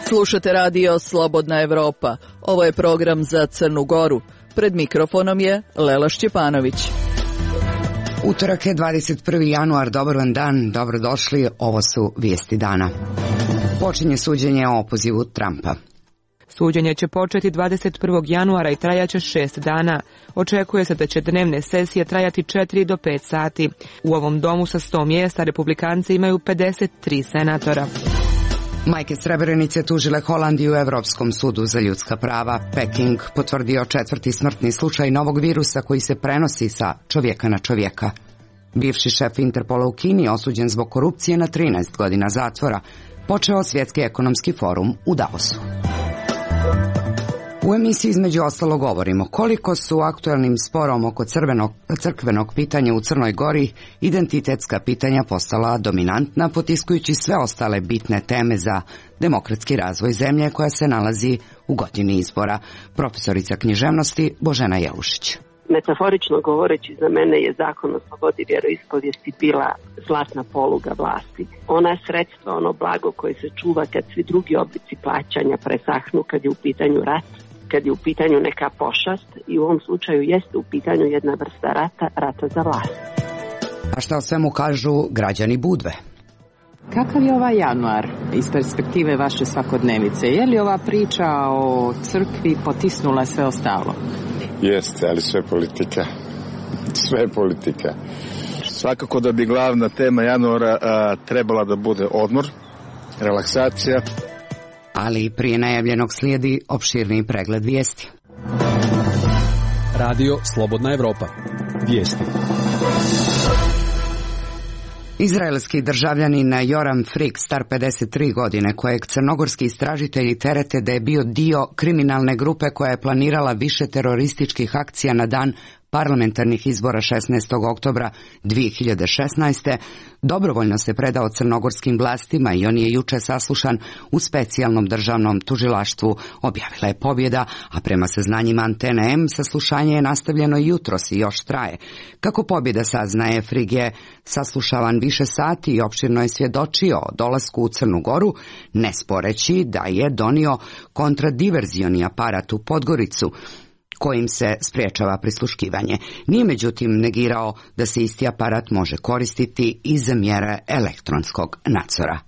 Slušate radio Slobodna Evropa. Ovo je program za Crnu Goru. Pred mikrofonom je Lela Šćepanović. Utorak je 21. januar, dobar vam dan, dobrodošli, ovo su vijesti dana. Počinje suđenje o opozivu Trumpa. Suđenje će početi 21. januara i trajaće 6 dana. Očekuje se da će dnevne sesije trajati 4 do 5 sati. U ovom domu sa 100 mjesta republikanci imaju 53 senatora. Majke Srebrenice tužile Holandiju u Evropskom sudu za ljudska prava. Peking potvrdio 4. smrtni slučaj novog virusa koji se prenosi sa čovjeka na čovjeka. Bivši šef Interpola u Kini osuđen zbog korupcije na 13 godina zatvora. Počeo Svjetski ekonomski forum u Davosu. U emisiji između ostalo govorimo koliko su aktuelnim sporom oko crkvenog pitanja u Crnoj Gori identitetska pitanja postala dominantna, potiskujući sve ostale bitne teme za demokratski razvoj zemlje koja se nalazi u godini izbora. Profesorica književnosti Božena Jelušić. Metaforično govoreći, za mene je zakon o slobodi vjeroispovijesti bila zlatna poluga vlasti. Ona je sredstvo, ono blago koje se čuva kad svi drugi oblici plaćanja presahnu, kad je u pitanju rat, kad je u pitanju neka pošast, i u ovom slučaju jeste u pitanju jedna vrsta rata za vlast. A šta o svemu kažu građani Budve? Kakav je ovaj januar iz perspektive vaše svakodnevice? Je li ova priča o crkvi potisnula sve ostalo? Jeste, ali sve politika. Sve je politika. Svakako da bi glavna tema januara trebala da bude odmor, relaksacija. Ali prije najavljenog slijedi opširniji pregled vijesti. Radio Slobodna Evropa. Vijesti. Izraelski državljanin Joram Frik, star 53 godine, kojeg crnogorski istražitelji terete da je bio dio kriminalne grupe koja je planirala više terorističkih akcija na dan parlamentarnih izbora 16. oktobra 2016. dobrovoljno se predao crnogorskim vlastima i on je juče saslušan u specijalnom državnom tužilaštvu, objavila je Pobjeda, a prema saznanjima Antene M saslušanje je nastavljeno jutros i još traje. Kako Pobjeda saznaje, Frig je saslušavan više sati i opširno je svjedočio o dolasku u Crnu Goru, ne sporeći da je donio kontradiverzioni aparat u Podgoricu, kojim se spriječava prisluškivanje. Nije međutim negirao da se isti aparat može koristiti i za mjere elektronskog nadzora.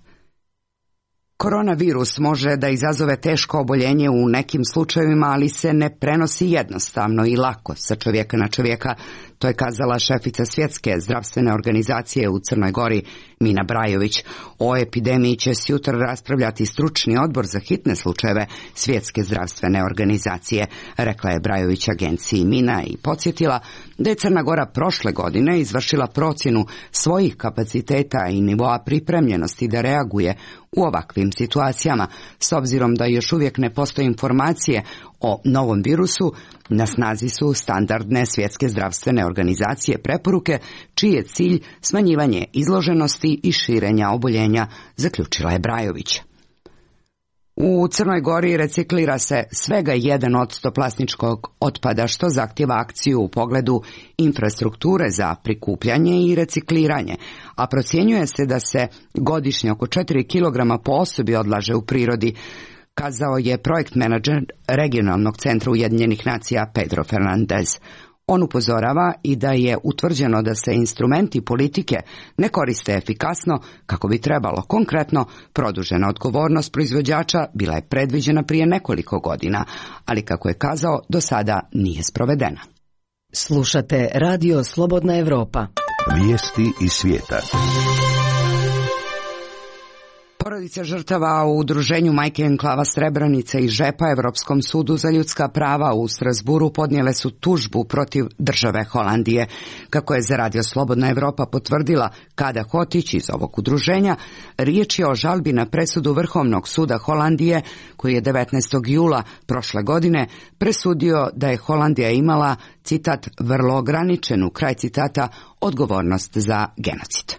Koronavirus može da izazove teško oboljenje u nekim slučajevima, ali se ne prenosi jednostavno i lako sa čovjeka na čovjeka. To je kazala šefica Svjetske zdravstvene organizacije u Crnoj Gori, Mina Brajović. O epidemiji će sutra raspravljati stručni odbor za hitne slučajeve Svjetske zdravstvene organizacije, rekla je Brajović agenciji Mina i podsjetila da je Crna Gora prošle godine izvršila procjenu svojih kapaciteta i nivoa pripremljenosti da reaguje u ovakvim situacijama. S obzirom da još uvijek ne postoje informacije o novom virusu, na snazi su standardne Svjetske zdravstvene organizacije preporuke, čiji je cilj smanjivanje izloženosti i širenja oboljenja, zaključila je Brajović. U Crnoj Gori reciklira se svega 1% plastičkog otpada, što zahtjeva akciju u pogledu infrastrukture za prikupljanje i recikliranje, a procjenjuje se da se godišnje oko 4 kg po osobi odlaže u prirodi, kazao je projekt menadžer regionalnog centra Ujedinjenih nacija Pedro Fernandez. On upozorava i da je utvrđeno da se instrumenti politike ne koriste efikasno kako bi trebalo. Konkretno, produžena odgovornost proizvođača bila je predviđena prije nekoliko godina, ali kako je kazao, do sada nije sprovedena. Slušate Radio Slobodna Evropa. Vijesti iz svijeta. Porodice žrtava u udruženju Majke enklava Srebrenica i Žepa Evropskom sudu za ljudska prava u Strasburu podnijele su tužbu protiv države Holandije. Kako je za Radio Slobodna Evropa potvrdila Kada Hotić iz ovog udruženja, riječ je o žalbi na presudu Vrhovnog suda Holandije, koji je 19. jula prošle godine presudio da je Holandija imala, citat, vrlo ograničenu, kraj citata, odgovornost za genocid.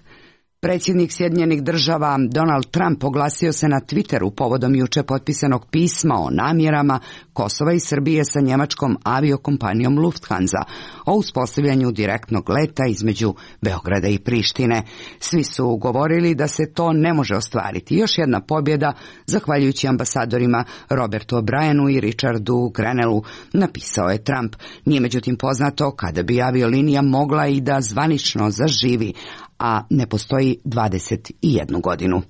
Predsjednik Sjedinjenih Država Donald Trump oglasio se na Twitteru povodom juče potpisanog pisma o namjerama Kosova i Srbije sa njemačkom aviokompanijom Lufthansa o uspostavljanju direktnog leta između Beograda i Prištine. Svi su govorili da se to ne može ostvariti. Još jedna pobjeda, zahvaljujući ambasadorima Robertu O'Brienu i Richardu Grenellu, napisao je Trump. Nije međutim poznato kada bi aviolinija mogla i da zvanično zaživi, a ne postoji 21 godinu.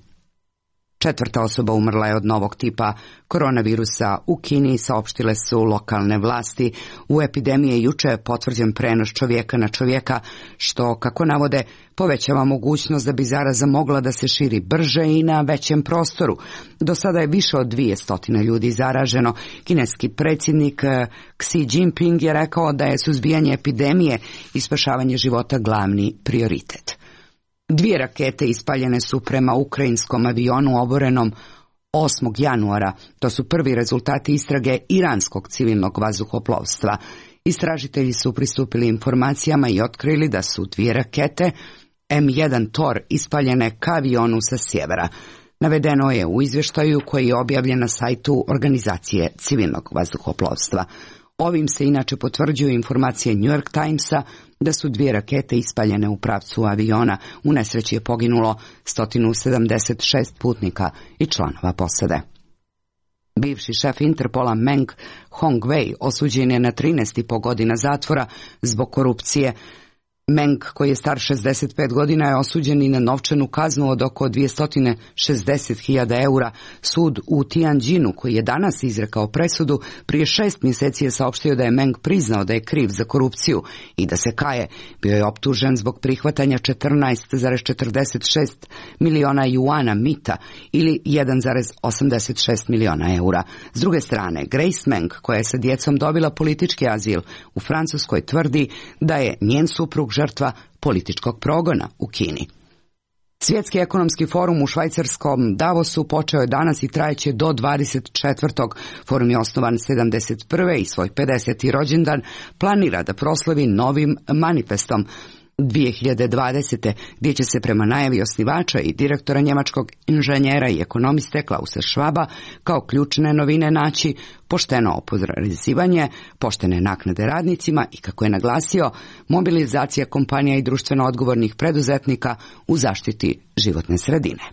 4. osoba umrla je od novog tipa koronavirusa u Kini, saopštile su lokalne vlasti. U epidemiji je juče potvrđen prenos čovjeka na čovjeka, što, kako navode, povećava mogućnost da bi zaraza mogla da se širi brže i na većem prostoru. Do sada je više od 200 ljudi zaraženo. Kineski predsjednik Xi Jinping je rekao da je suzbijanje epidemije i spašavanje života glavni prioritet. 2 rakete ispaljene su prema ukrajinskom avionu oborenom 8. januara. To su prvi rezultati istrage iranskog civilnog vazduhoplovstva. Istražitelji su pristupili informacijama i otkrili da su 2 rakete M1 Tor ispaljene ka avionu sa sjevera. Navedeno je u izvještaju koji je objavljen na sajtu Organizacije civilnog vazduhoplovstva. Ovim se inače potvrđuju informacije New York Timesa da su 2 rakete ispaljene u pravcu aviona. U nesreći je poginulo 176 putnika i članova posade. Bivši šef Interpola Meng Hongwei osuđen je na 13,5 godina zatvora zbog korupcije. Meng, koji je star 65 godina, je osuđen i na novčanu kaznu od oko 260.000 eura. Sud u Tianjinu, koji je danas izrekao presudu, prije 6 mjeseci je saopštio da je Meng priznao da je kriv za korupciju i da se kaje. Bio je optužen zbog prihvatanja 14,46 miliona juana mita ili 1,86 miliona eura. S druge strane, Grace Meng, koja je sa djecom dobila politički azil u Francuskoj, tvrdi da je njen suprug žrtva političkog progona u Kini. Svjetski ekonomski forum u švajcarskom Davosu počeo je danas i trajeće do 24. Forum je osnovan 71. i svoj 50. rođendan planira da proslavi novim manifestom 2020. gdje će se prema najavi osnivača i direktora njemačkog inženjera i ekonomiste Klausa Schwaba kao ključne novine naći pošteno oporezivanje, poštene naknade radnicima i, kako je naglasio, mobilizacija kompanija i društveno odgovornih preduzetnika u zaštiti životne sredine.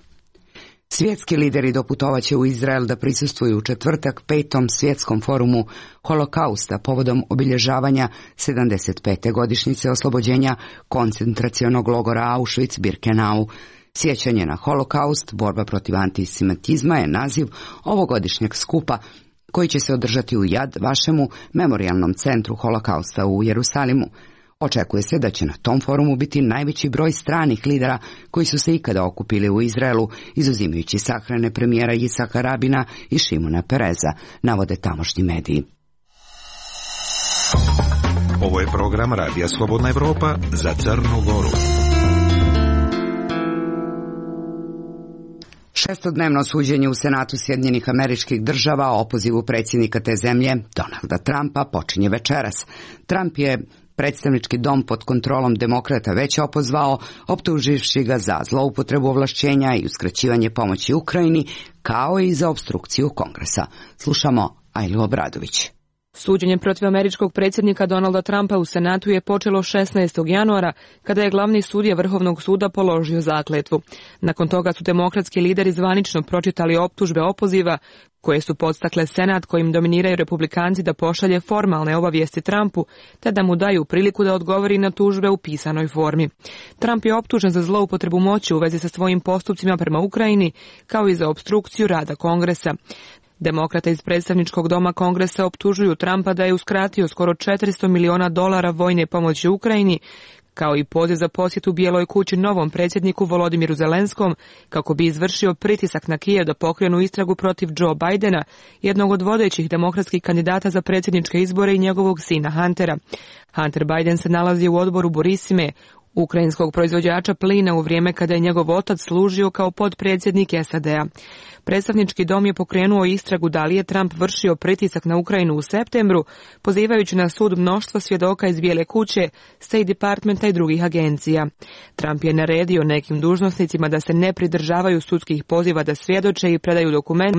Svjetski lideri doputovaće u Izrael da prisustvuju u četvrtak 5. svjetskom forumu Holokausta povodom obilježavanja 75. godišnjice oslobođenja koncentracionog logora Auschwitz-Birkenau. Sjećanje na Holokaust, borba protiv antisemitizma je naziv ovogodišnjeg skupa koji će se održati u Yad Vašemu, memorijalnom centru Holokausta u Jerusalimu. Očekuje se da će na tom forumu biti najveći broj stranih lidera koji su se ikada okupili u Izraelu, izuzimajući sahrane premijera Jicaka Rabina i Šimona Pereza, navode tamošnji mediji. Ovo je program Radija Slobodna Evropa za Crnu Goru. 6-dnevno suđenje u Senatu Sjedinjenih Američkih Država o opozivu predsjednika te zemlje, Donalda Trumpa, počinje večeras. Trump je predstavnički dom pod kontrolom demokrata već opozvao, optuživši ga za zloupotrebu ovlašćenja i uskraćivanje pomoći Ukrajini, kao i za opstrukciju Kongresa. Slušamo Ajlu Obradović. Suđenje protiv američkog predsjednika Donalda Trumpa u Senatu je počelo 16. januara, kada je glavni sudija Vrhovnog suda položio zakletvu. Nakon toga su demokratski lideri zvanično pročitali optužbe opoziva, koje su podstakle Senat, kojim dominiraju republikanci, da pošalje formalne obavijesti Trumpu, te da mu daju priliku da odgovori na tužbe u pisanoj formi. Trump je optužen za zloupotrebu moći u vezi sa svojim postupcima prema Ukrajini, kao i za opstrukciju rada Kongresa. Demokrate iz predstavničkog doma Kongresa optužuju Trumpa da je uskratio skoro $400 miliona vojne pomoći Ukrajini, kao i poziv za posjetu Bijeloj kući novom predsjedniku Volodimiru Zelenskom, kako bi izvršio pritisak na Kijev da pokrenu istragu protiv Joe Bidena, jednog od vodećih demokratskih kandidata za predsjedničke izbore, i njegovog sina Huntera. Hunter Biden se nalazi u odboru Burisime, ukrajinskog proizvođača plina, u vrijeme kada je njegov otac služio kao potpredsjednik SAD-a. Predstavnički dom je pokrenuo istragu da li je Trump vršio pritisak na Ukrajinu u septembru, pozivajući na sud mnoštvo svjedoka iz Bijele kuće, State Departmenta i drugih agencija. Trump je naredio nekim dužnosnicima da se ne pridržavaju sudskih poziva da svjedoče i predaju dokument.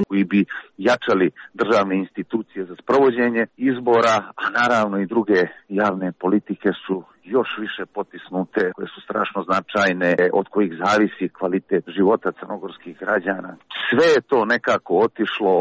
koji bi jačali državne institucije za sprovođenje izbora, a naravno i druge javne politike su još više potisnute, koje su strašno značajne, od kojih zavisi kvalitet života crnogorskih građana. Sve je to nekako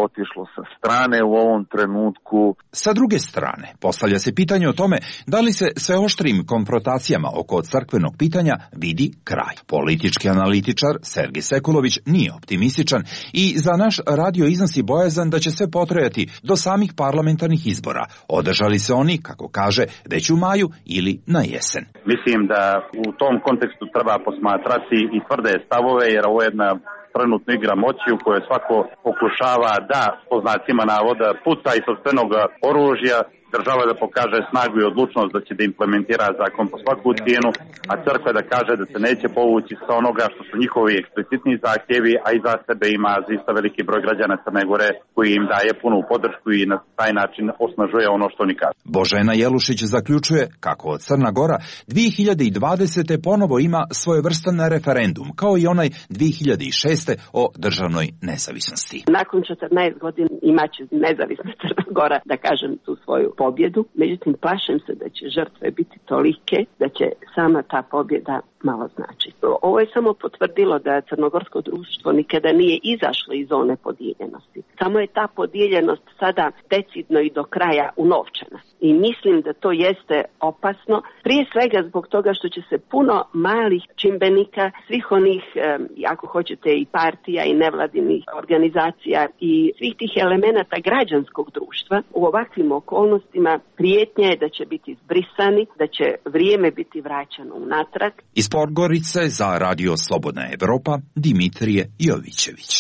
otišlo sa strane u ovom trenutku. Sa druge strane, postavlja se pitanje o tome da li se sve oštrim konfrontacijama oko crkvenog pitanja vidi kraj. Politički analitičar Sergej Sekulović nije optimističan i za naš radio iznosi bojazan da će sve potrajati do samih parlamentarnih izbora. Održali se oni, kako kaže, već u maju ili na jesen. Mislim da u tom kontekstu treba posmatrati i tvrde stavove, jer ovo je jedna trenutna igra moći u kojoj svako pokušava da, po znacima navoda, puca iz sopstvenog oružja, država da pokaže snagu i odlučnost da će da implementira zakon po svaku cijenu, a crkva da kaže da se neće povući sa onoga što su njihovi eksplicitni zahtjevi, a i za sebe ima zaista veliki broj građana Crne Gore koji im daje punu podršku i na taj način osnažuje ono što oni kažu. Božena Jelušić zaključuje kako Crna Gora 2020. ponovo ima svojevrstan referendum, kao i onaj 2006. o državnoj nezavisnosti. Nakon 14 godina imaće nezavisna Crna Gora, da kažem, tu svoju pobjedu, međutim plašim se da će žrtve biti tolike da će sama ta pobjeda malo znači. Ovo je samo potvrdilo da crnogorsko društvo nikada nije izašlo iz zone podijeljenosti. Samo je ta podijeljenost sada decidno i do kraja unovčena. I mislim da to jeste opasno, prije svega zbog toga što će se puno malih čimbenika, svih onih, ako hoćete, i partija i nevladinih organizacija i svih tih elemenata građanskog društva u ovakvim okolnostima prijetnja je da će biti zbrisani, da će vrijeme biti vraćano unatrag. Iz Podgorice za Radio Slobodna Evropa, Dimitrije Jovićević.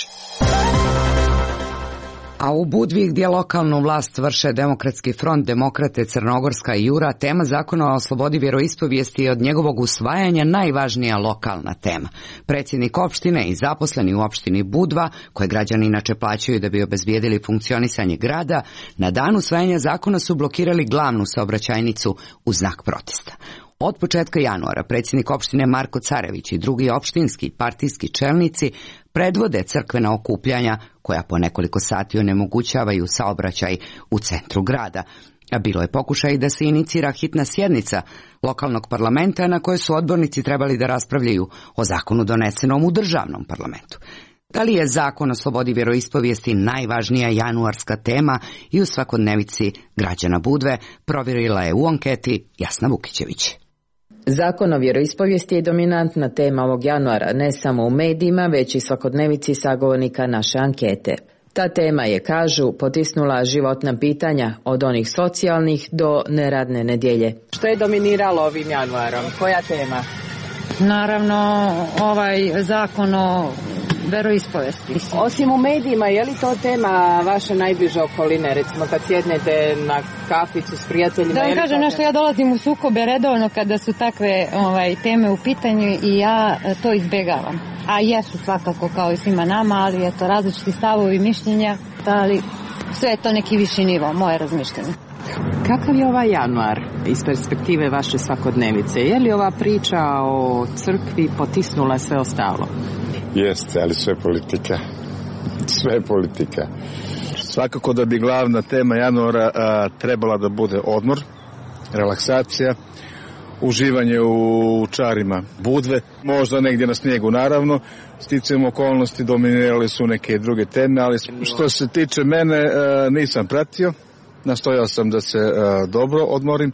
A u Budvi, gdje lokalnu vlast vrše Demokratski front, Demokrate, Crnogorska i Jura, tema zakona o slobodi vjeroispovijesti je od njegovog usvajanja najvažnija lokalna tema. Predsjednik opštine i zaposleni u opštini Budva, koje građani inače plaćaju da bi obezbijedili funkcionisanje grada, na dan usvajanja zakona su blokirali glavnu saobraćajnicu u znak protesta. Od početka januara predsjednik opštine Marko Carević i drugi opštinski partijski čelnici predvode crkvena okupljanja koja po nekoliko sati onemogućavaju saobraćaj u centru grada. A bilo je pokušaj da se inicira hitna sjednica lokalnog parlamenta na kojoj su odbornici trebali da raspravljaju o zakonu donesenom u državnom parlamentu. Da li je zakon o slobodi vjeroispovijesti najvažnija januarska tema i u svakodnevici građana Budve, provjerila je u anketi Jasna Vukićević. Zakon o vjeroispovijesti je dominantna tema ovog januara, ne samo u medijima, već i svakodnevici sagovornika naše ankete. Ta tema je, kažu, potisnula životna pitanja od onih socijalnih do neradne nedjelje. Što je dominiralo ovim januarom? Koja tema? Naravno, ovaj zakon o veroispovijesti. Osim u medijima, je li to tema vaše najbliže okoline? Recimo kad sjednete na kaficu s prijateljima? Da vam kažem nešto, ja dolazim u sukobe redovno kada su takve teme u pitanju i ja to izbjegavam. A jesu svakako kao i svima nama, ali je to različiti stavovi i mišljenja, ali sve je to neki viši nivo, moje razmišljanje. Kakav je ovaj januar iz perspektive vaše svakodnevice? Je li ova priča o crkvi potisnula sve ostalo? Jeste, ali sve politika. Sve je politika. Svakako da bi glavna tema januara trebala da bude odmor, relaksacija, uživanje u čarima Budve, možda negdje na snijegu naravno. Sticajem okolnosti dominirale su neke druge teme, ali što se tiče mene nisam pratio. Nastojao sam da se dobro odmorim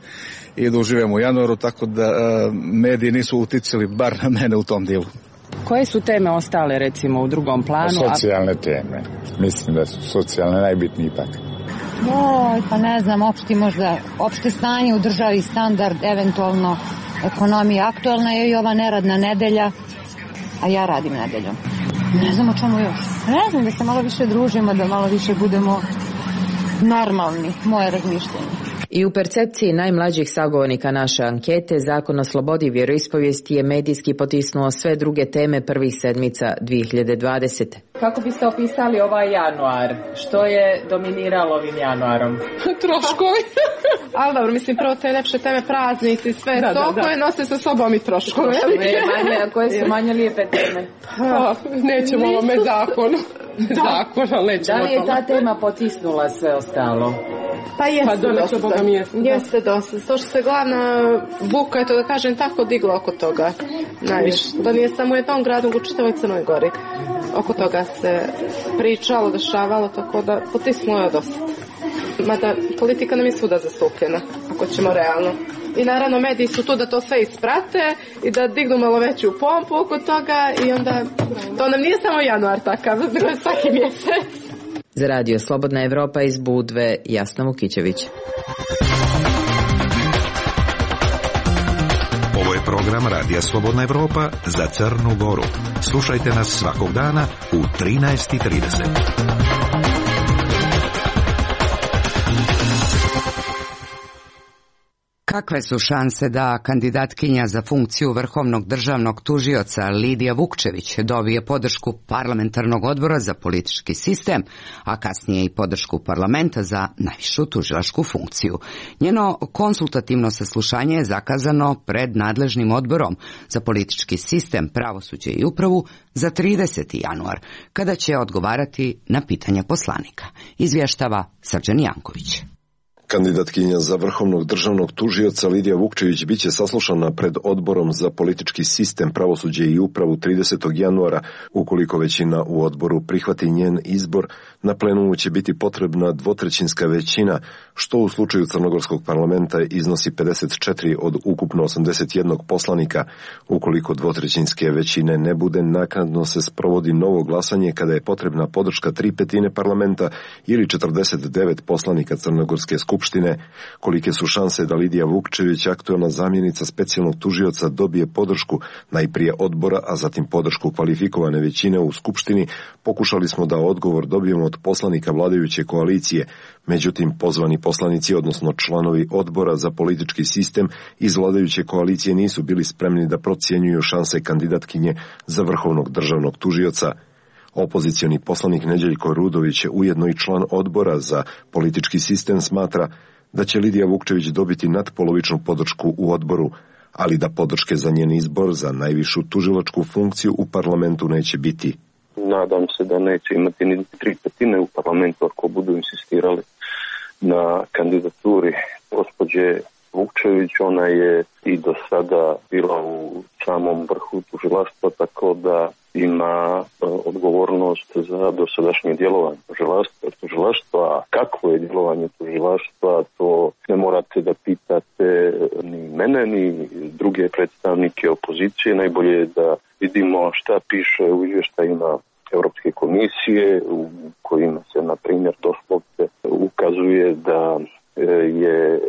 i da uživam u januaru, tako da mediji nisu uticali bar na mene u tom dijelu. Koje su teme ostale, recimo, u drugom planu? Socijalne teme. Mislim da su socijalne najbitnije ipak. Pa ne znam, opšte stanje u državi, standard, eventualno ekonomija. Aktualna je i ova neradna nedelja, a ja radim nedeljom. Ne znam o čemu još. Ne znam, da se malo više družimo, da malo više budemo normalni, moje razmišljanje. I u percepciji najmlađih sagovornika naše ankete, Zakon o slobodi vjeroispovijesti je medijski potisnuo sve druge teme prvih sedmica 2020. Kako biste opisali ovaj januar? Što je dominiralo ovim januarom? Troškovi. Ali dobro, mislim, prvo te lepše teme, praznici, sve to koje nose sa sobom i troškove. A koje su manje lijepe teme? Nećemo ovome zakonu. Da li je ta tema potisnula sve ostalo? Pa jeste dosta. To što se glavna buka, eto da kažem tako, digla oko toga. Najviše. Da nije samo u jednom gradu, u čitavoj Crnoj Gori. Oko toga se pričalo, dešavalo, tako da potisnulo je dosta. Mada politika nam je svuda zastupljena, ako ćemo realno. I naravno mediji su tu da to sve isprate i da dignu malo veću pompu oko toga i onda to nam nije samo januar takav, nego je svaki mjesec. Za Radio Slobodna Evropa iz Budve, Jasna Vukićević. Ovo je program Radija Slobodna Evropa za Crnu Goru. Slušajte nas svakog dana u 13:30. Kakve su šanse da kandidatkinja za funkciju vrhovnog državnog tužioca Lidija Vukčević dobije podršku parlamentarnog odbora za politički sistem, a kasnije i podršku parlamenta za najvišu tužilačku funkciju? Njeno konsultativno saslušanje je zakazano pred nadležnim odborom za politički sistem, pravosuđe i upravu za 30. januar, kada će odgovarati na pitanja poslanika. Izvještava Srđan Janković. Kandidatkinja za vrhovnog državnog tužioca Lidija Vukčević biće saslušana pred odborom za politički sistem, pravosuđe i upravu 30. januara. Ukoliko većina u odboru prihvati njen izbor, na plenumu će biti potrebna dvotrećinska većina, što u slučaju crnogorskog parlamenta iznosi 54 od ukupno 81 poslanika. Ukoliko dvotrećinske većine ne bude, naknadno se sprovodi novo glasanje kada je potrebna podrška 3/5 parlamenta ili 49 poslanika crnogorske skupštine. Kolike su šanse da Lidija Vukčević, aktuelna zamjenica specijalnog tužioca, dobije podršku najprije odbora, a zatim podršku kvalifikovane većine u skupštini, pokušali smo da odgovor dobijemo od poslanika vladajuće koalicije. Međutim, pozvani poslanici, odnosno članovi odbora za politički sistem iz vladajuće koalicije, nisu bili spremni da procjenjuju šanse kandidatkinje za vrhovnog državnog tužioca. Opozicioni poslanik Neđeljko Rudović, ujedno i član odbora za politički sistem, smatra da će Lidija Vukčević dobiti nadpolovičnu podršku u odboru, ali da podrške za njen izbor za najvišu tužilačku funkciju u parlamentu neće biti. Nadam se da neće imati ni 3/5 u parlamentu ako budu insistirali na kandidaturi gospođe Vukčević. Ona je i do sada bila u samom vrhu tužilaštva, tako da ima odgovornost za dosadašnje djelovanje tužilaštva. A kakvo je djelovanje tužilaštva, to ne morate da pitate ni mene, ni druge predstavnike opozicije. Najbolje je da vidimo šta piše u izvještajima Europske komisije, u kojima se, na primjer, doslovce ukazuje da je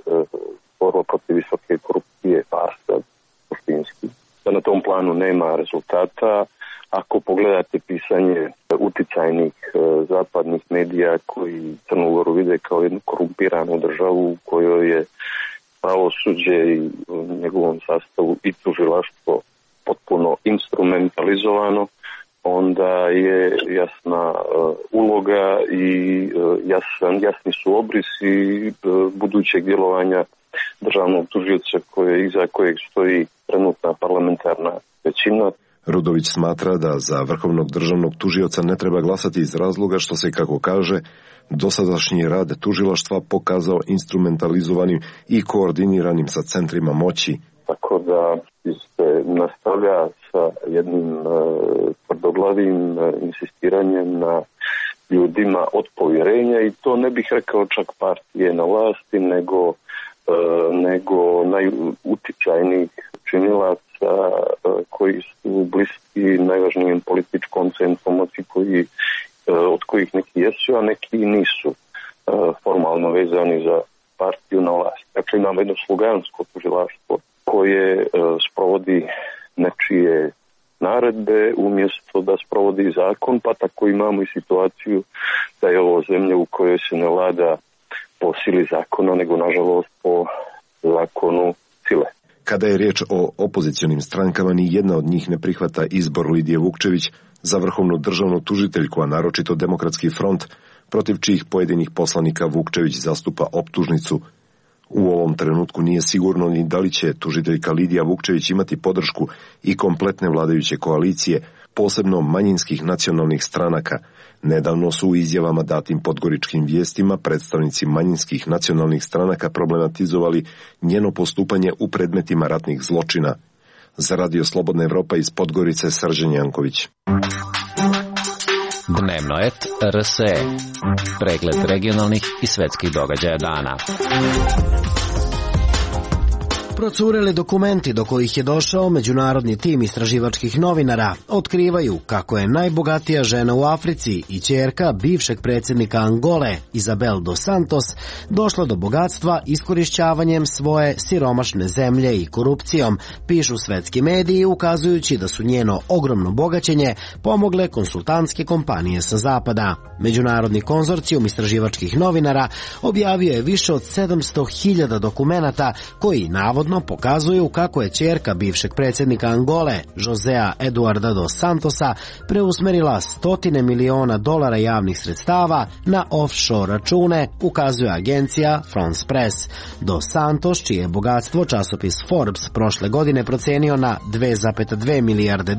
borba protiv visoke korupcije farsa suštinski. Da na tom planu nema rezultata. Ako pogledate pisanje uticajnih zapadnih medija koji Crnu Goru vide kao jednu korumpiranu državu u kojoj je pravosuđe i u njegovom sastavu i tužilaštvo potpuno instrumentalizovano, onda je jasna uloga i jasni su obrisi budućeg djelovanja državnog tužioca iza kojeg stoji trenutna parlamentarna većina. Rudović smatra da za vrhovnog državnog tužioca ne treba glasati iz razloga što se, kako kaže, dosadašnji rad tužilaštva pokazao instrumentalizovanim i koordiniranim sa centrima moći. Tako da se nastavlja sa jednim tvrdoglavim insistiranjem na ljudima od povjerenja, i to ne bih rekao čak partije na vlasti, nego najuticajnijih činilaca koji su bliski najvažnijem političkom centru moći, od kojih neki jesu, a neki nisu formalno vezani za partiju na vlasti. Dakle, imamo jedno slugansko tužilaštvo koje sprovodi nečije naredbe umjesto da sprovodi zakon, pa tako imamo i situaciju da je ovo zemlja u kojoj se ne vlada po sili zakona, nego nažalost po zakonu sile. Kada je riječ o opozicionim strankama, ni jedna od njih ne prihvata izbor Lidije Vukčević za vrhovnu državnu tužiteljku, a naročito Demokratski front, protiv čijih pojedinih poslanika Vukčević zastupa optužnicu. U ovom trenutku nije sigurno ni da li će tužiteljka Lidija Vukčević imati podršku i kompletne vladajuće koalicije, posebno manjinskih nacionalnih stranaka. Nedavno su u izjavama datim Podgoričkim vijestima predstavnici manjinskih nacionalnih stranaka problematizovali njeno postupanje u predmetima ratnih zločina. Za Radio Slobodna Evropa iz Podgorice, Srđan Janković. Dnevno et RSE. Pregled regionalnih i svetskih događaja dana. Procureli dokumenti do kojih je došao međunarodni tim istraživačkih novinara otkrivaju kako je najbogatija žena u Africi i ćerka bivšeg predsjednika Angole, Isabel dos Santos, došla do bogatstva iskorišćavanjem svoje siromašne zemlje i korupcijom, pišu svetski mediji, ukazujući da su njeno ogromno bogaćenje pomogle konsultantske kompanije sa zapada. Međunarodni konzorcijum istraživačkih novinara objavio je više od 700.000 dokumenata koji navodno pokazuju kako je ćerka bivšeg predsjednika Angole, Josea Eduarda dos Santosa, preusmerila $100 miliona javnih sredstava na offshore račune, ukazuje agencija France Press. Dos Santos, čije je bogatstvo časopis Forbes prošle godine procenio na $2,2 milijarde,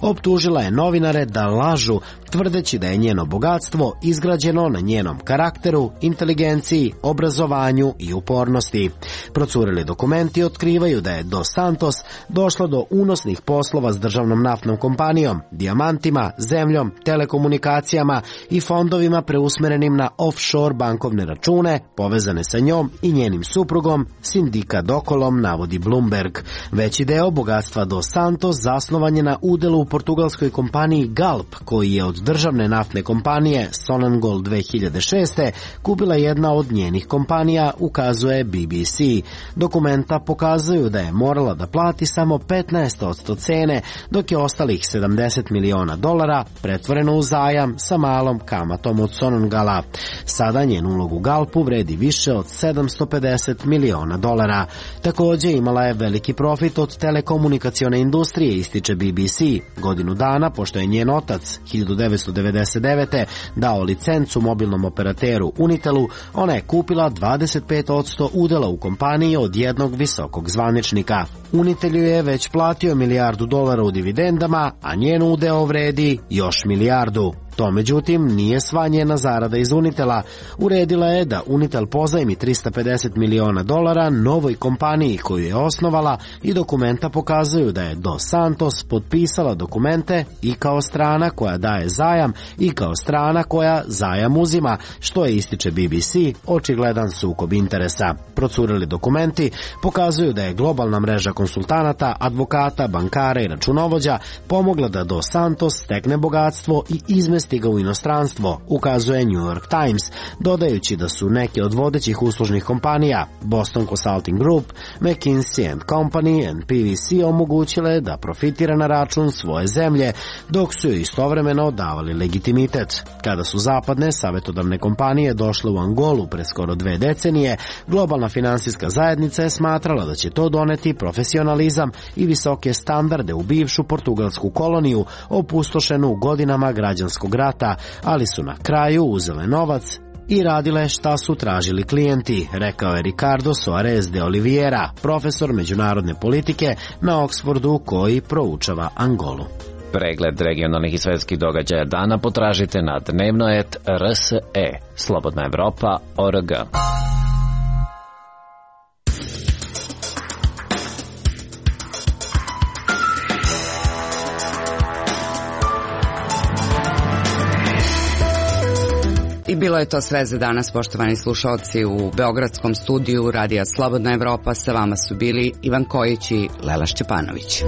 optužila je novinare da lažu, tvrdeći da je njeno bogatstvo izgrađeno na njenom karakteru, inteligenciji, obrazovanju i upornosti. Procurili dokumenti otkrivaju da je Dos Santos došla do unosnih poslova s državnom naftnom kompanijom, dijamantima, zemljom, telekomunikacijama i fondovima preusmerenim na offshore bankovne račune povezane sa njom i njenim suprugom, sindikat Dokolom, navodi Bloomberg. Veći deo bogatstva Dos Santos zasnovan je na udjelu u portugalskoj kompaniji Galp, koji je od državne naftne kompanije Sonangol 2006. kupila jedna od njenih kompanija, ukazuje BBC. Dokumenta pokazuju da je morala da plati samo 15% cene, dok je ostalih $70 miliona pretvoreno u zajam sa malom kamatom od Sonangala. Sada njen ulog u Galpu vredi više od $750 miliona. Također imala je veliki profit od telekomunikacione industrije, ističe BBC. Godinu dana, pošto je njen otac 1999. dao licencu mobilnom operateru Unitelu, ona je kupila 25% udjela u kompaniji od jednog visokog zvaničnika. Unitel je već platio $1 milijardu u dividendama, a njen udeo vredi još $1 milijardu. To, međutim, nije sva njena zarada iz Unitela. Uredila je da Unitel pozajmi $350 miliona novoj kompaniji koju je osnovala i dokumenta pokazuju da je Dos Santos potpisala dokumente i kao strana koja daje zajam i kao strana koja zajam uzima, što je, ističe BBC, očigledan sukob interesa. Procureli dokumenti pokazuju da je globalna mreža konsultanata, advokata, bankara i računovođa pomogla da Dos Santos stekne bogatstvo i izmesti ga u inostranstvo, ukazuje New York Times, dodajući da su neke od vodećih uslužnih kompanija, Boston Consulting Group, McKinsey & Company and PwC, omogućile da profitira na račun svoje zemlje, dok su joj istovremeno davali legitimitet. Kada su zapadne savjetodavne kompanije došle u Angolu pre skoro 2 decenije, globalna finansijska zajednica je smatrala da će to doneti profesionalizam i visoke standarde u bivšu portugalsku koloniju, opustošenu godinama građanskog rata, ali su na kraju uzele novac i radile šta su tražili klijenti, rekao je Ricardo Soares de Oliveira, profesor međunarodne politike na Oxfordu koji proučava Angolu. Pregled regionalnih i svetskih događaja dana potražite na dnevno.rs.e. Slobodna Evropa.org. I bilo je to sve za danas, poštovani slušalci. U beogradskom studiju Radija Slobodna Evropa sa vama su bili Ivan Kojić i Lela Šćepanović.